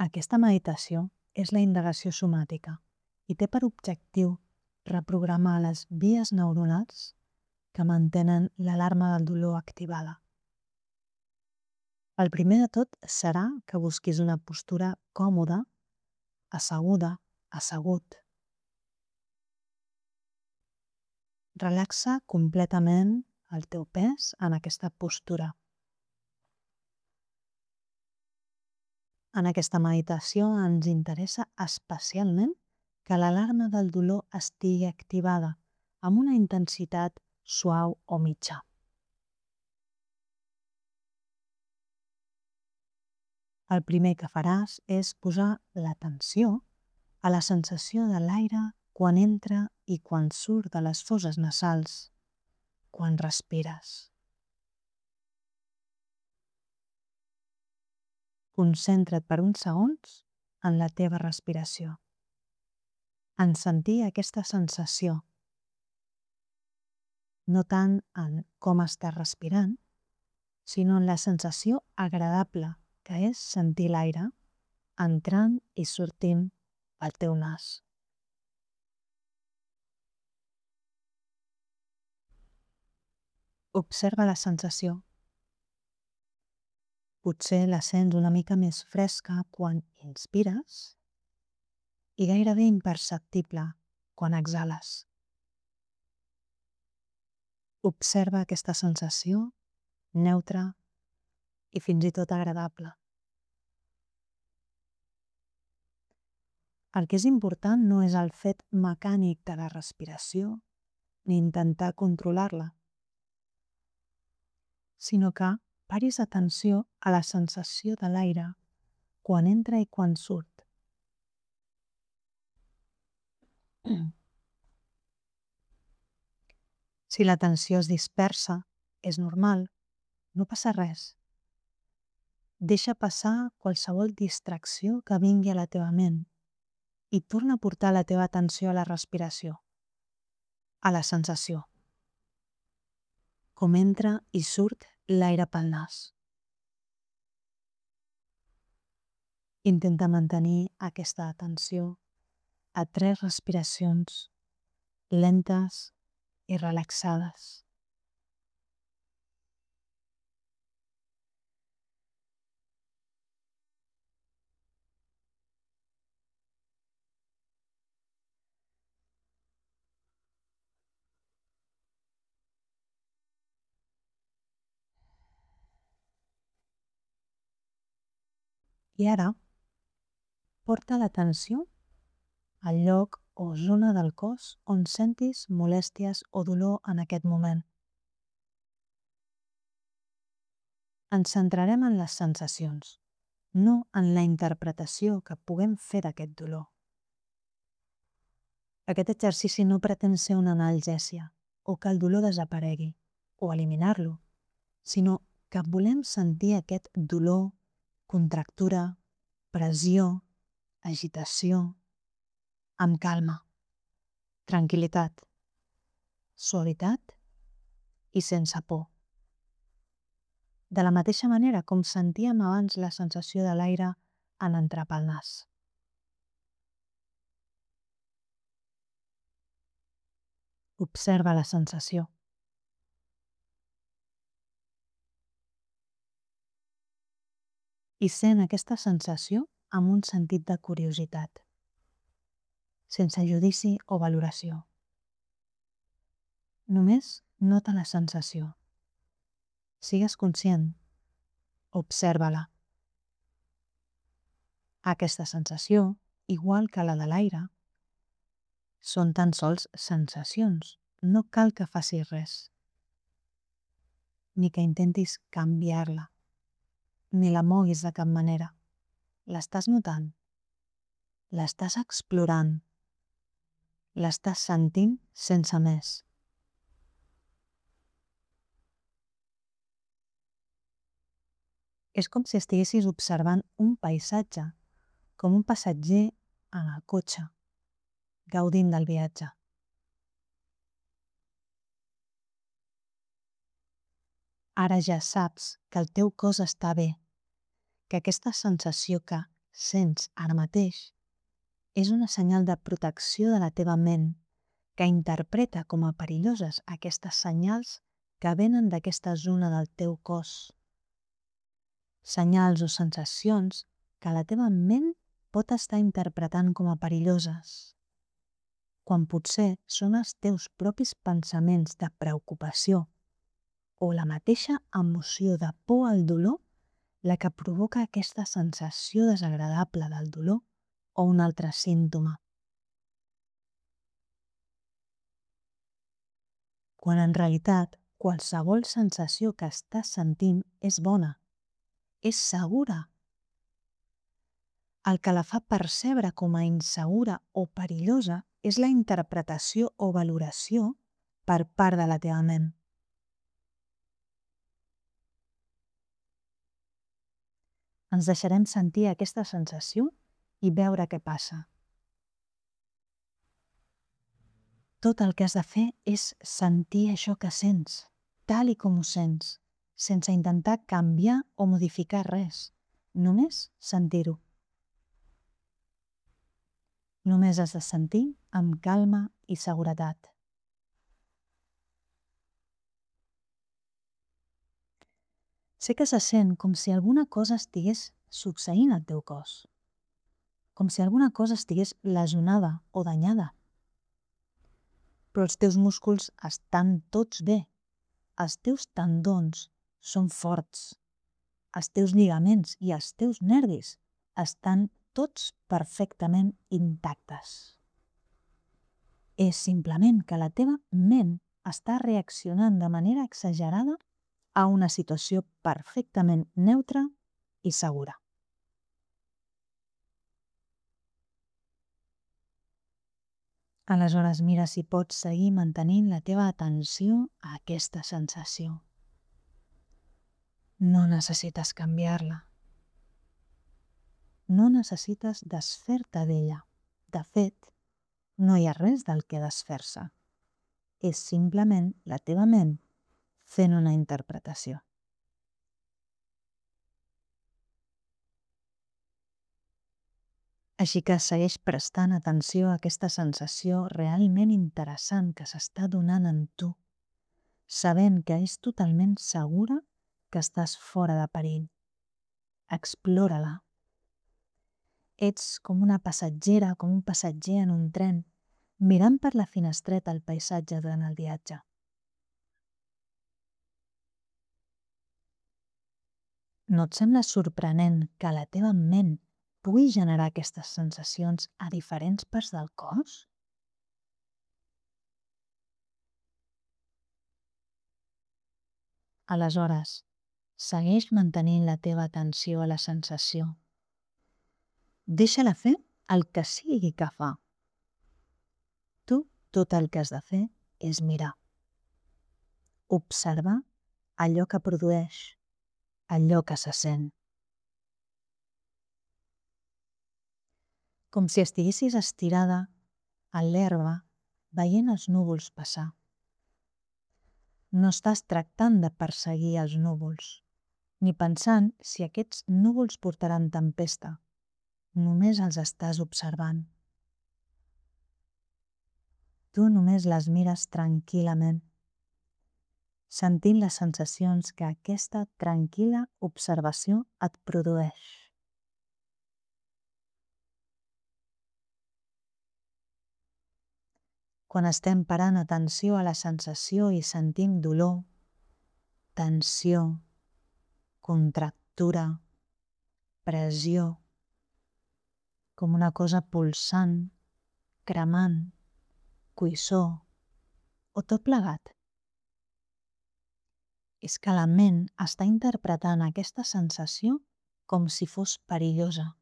Aquesta meditació és la indagació somàtica i té per objectiu reprogramar les vies neuronals que mantenen l'alarma del dolor activada. El primer de tot serà que busquis una postura còmoda, asseguda, assegut. Relaxa completament el teu pes en aquesta postura. En aquesta meditació ens interessa especialment que l'alarma del dolor estigui activada amb una intensitat suau o mitja. El primer que faràs és posar l'atenció a la sensació de l'aire quan entra i quan surt de les fosses nasals, quan respires. Concentra't per uns segons en la teva respiració, en sentir aquesta sensació, no tant en com estàs respirant, sinó en la sensació agradable que és sentir l'aire entrant i sortint pel teu nas. Observa la sensació. Potser la sents una mica més fresca quan inspires i gairebé imperceptible quan exhales. Observa aquesta sensació neutra i fins i tot agradable. El que és important no és el fet mecànic de la respiració ni intentar controlar-la, sinó que paris atenció a la sensació de l'aire quan entra i quan surt. Si l'atenció es dispersa, és normal, no passa res. Deixa passar qualsevol distracció que vingui a la teva ment i torna a portar la teva atenció a la respiració, a la sensació, com entra i surt l'aire pel nas. Intenta mantenir aquesta atenció a 3 respiracions lentes i relaxades. I ara, porta l'atenció al lloc o zona del cos on sentis molèsties o dolor en aquest moment. Ens centrarem en les sensacions, no en la interpretació que puguem fer d'aquest dolor. Aquest exercici no pretén ser una analgèsia o que el dolor desaparegui o eliminar-lo, sinó que volem sentir aquest dolor, contractura, pressió, agitació, amb calma, tranquil·litat, suavitat i sense por. De la mateixa manera com sentíem abans la sensació de l'aire en entrar pel nas. Observa la sensació. I sent aquesta sensació amb un sentit de curiositat, sense judici o valoració. Només nota la sensació. Sigues conscient. Observa-la. Aquesta sensació, igual que la de l'aire, són tan sols sensacions. No cal que facis res, ni que intentis canviar-la, ni la moguis de cap manera. L'estàs notant, l'estàs explorant, l'estàs sentint sense més. És com si estiguessis observant un paisatge, com un passatger en el cotxe, gaudint del viatge. Ara ja saps que el teu cos està bé, que aquesta sensació que sents ara mateix és una senyal de protecció de la teva ment que interpreta com a perilloses aquestes senyals que venen d'aquesta zona del teu cos. Senyals o sensacions que la teva ment pot estar interpretant com a perilloses, quan potser són els teus propis pensaments de preocupació o la mateixa emoció de por al dolor la que provoca aquesta sensació desagradable del dolor o un altre símptoma. Quan en realitat qualsevol sensació que estàs sentint és bona, és segura. El que la fa percebre com a insegura o perillosa és la interpretació o valoració per part de la teva ment. Ens deixarem sentir aquesta sensació i veure què passa. Tot el que has de fer és sentir això que sents, tal i com ho sents, sense intentar canviar o modificar res, només sentir-ho. Només has de sentir amb calma i seguretat. Sé que se sent com si alguna cosa estigués succeint al teu cos, com si alguna cosa estigués lesionada o danyada. Però els teus músculs estan tots bé, els teus tendons són forts, els teus lligaments i els teus nervis estan tots perfectament intactes. És simplement que la teva ment està reaccionant de manera exagerada a una situació perfectament neutra i segura. Aleshores mira si pots seguir mantenint la teva atenció a aquesta sensació. No necessites canviar-la. No necessites desfer-te d'ella. De fet, no hi ha res del que desfer-se. És simplement la teva ment fent una interpretació. Així que segueix prestant atenció a aquesta sensació realment interessant que s'està donant en tu, sabent que és totalment segura que estàs fora de perill. Explora-la. Ets com una passatgera, com un passatger en un tren, mirant per la finestreta el paisatge durant el viatge. No et sembla sorprenent que la teva ment pugui generar aquestes sensacions a diferents parts del cos? Aleshores, segueix mantenint la teva atenció a la sensació. Deixa-la fer el que sigui que fa. Tu tot el que has de fer és mirar. Observar allò que produeix, allò que se sent. Com si estiguessis estirada a l'herba veient els núvols passar. No estàs tractant de perseguir els núvols, ni pensant si aquests núvols portaran tempesta. Només els estàs observant. Tu només les mires tranquil·lament, sentint les sensacions que aquesta tranquil·la observació et produeix. Quan estem parant atenció a la sensació i sentim dolor, tensió, contractura, pressió, com una cosa pulsant, cremant, cuissor o tot plegat. És que la ment està interpretant aquesta sensació com si fos perillosa.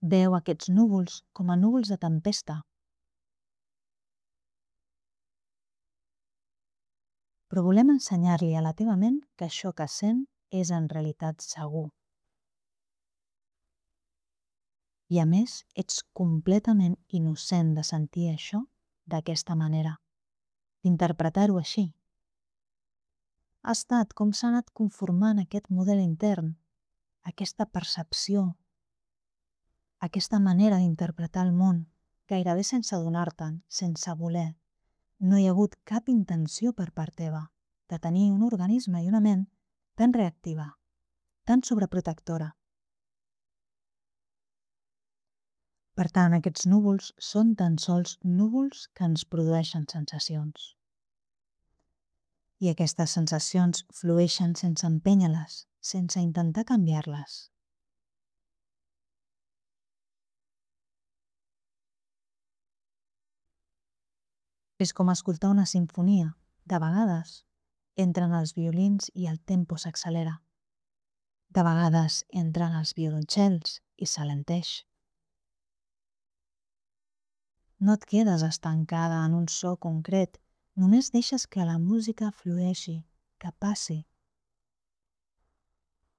Veu aquests núvols com a núvols de tempesta. Però volem ensenyar-li a la teva ment que això que sent és en realitat segur. I a més, ets completament innocent de sentir això d'aquesta manera, d'interpretar-ho així. Ha estat com s'ha anat conformant aquest model intern, aquesta percepció. Aquesta manera d'interpretar el món, gairebé sense adonar-te'n, sense voler, no hi ha hagut cap intenció per part teva de tenir un organisme i una ment tan reactiva, tan sobreprotectora. Per tant, aquests núvols són tan sols núvols que ens produeixen sensacions. I aquestes sensacions flueixen sense empènyer-les, sense intentar canviar-les. És com escoltar una simfonia. De vegades entren els violins i el tempo s'accelera. De vegades entren els violoncels i s'alenteix. No et quedes estancada en un so concret, només deixes que la música flueixi, que passi.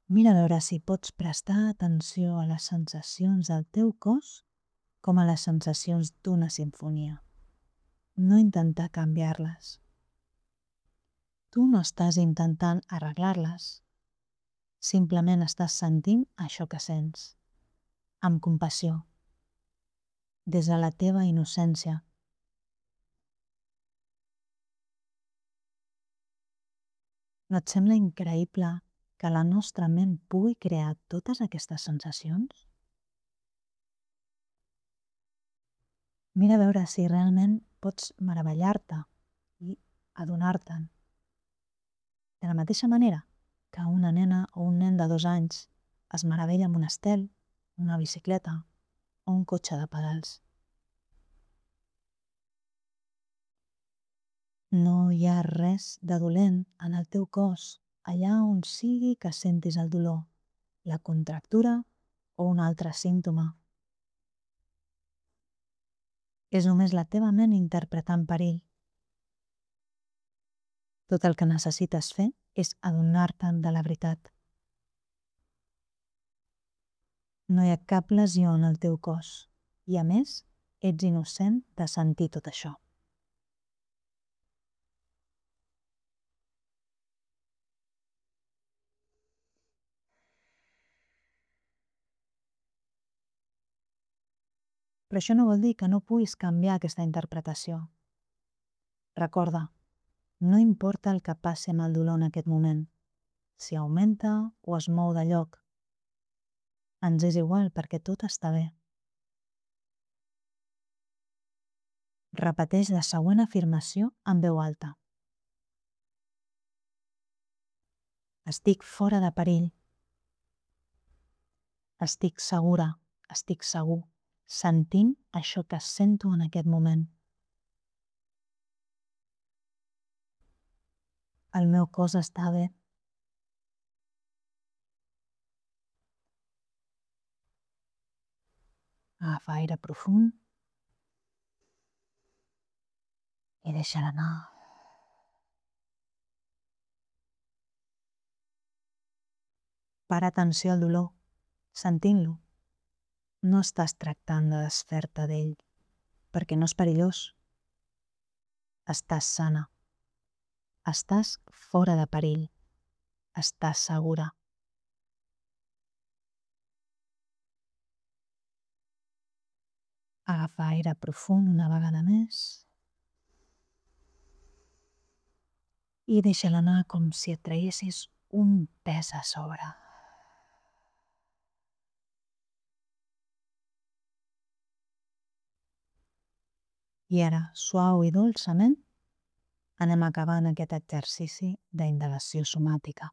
Mira a veure si pots prestar atenció a les sensacions del teu cos com a les sensacions d'una simfonia. No intentar canviar-les. Tu no estàs intentant arreglar-les. Simplement estàs sentint això que sents, amb compassió, des de la teva innocència. No et sembla increïble que la nostra ment pugui crear totes aquestes sensacions? Mira a veure si realment pots meravellar-te i adonar-te'n. De la mateixa manera que una nena o un nen de 2 anys es meravella amb un estel, una bicicleta o un cotxe de pedals. No hi ha res de dolent en el teu cos, allà on sigui que sentis el dolor, la contractura o un altre símptoma. És només la teva ment interpretant perill. Tot el que necessites fer és adonar-te'n de la veritat. No hi ha cap lesió en el teu cos i, a més, ets innocent de sentir tot això. Però això no vol dir que no puguis canviar aquesta interpretació. Recorda, no importa el que passi amb el dolor en aquest moment, si augmenta o es mou de lloc. Ens és igual perquè tot està bé. Repeteix la següent afirmació en veu alta. Estic fora de perill. Estic segura, estic segur, sentint això que sento en aquest moment. El meu cos està bé. Agafa aire profund i deixa-la anar. Para atenció al dolor, sentint-lo. No estàs tractant de desfer-te d'ell, perquè no és perillós. Estàs sana. Estàs fora de perill. Estàs segura. Agafa aire profund una vegada més i deixa-la anar com si et traguessis un pes a sobre. I ara, suau i dolçament, anem acabant aquest exercici d'indagació somàtica.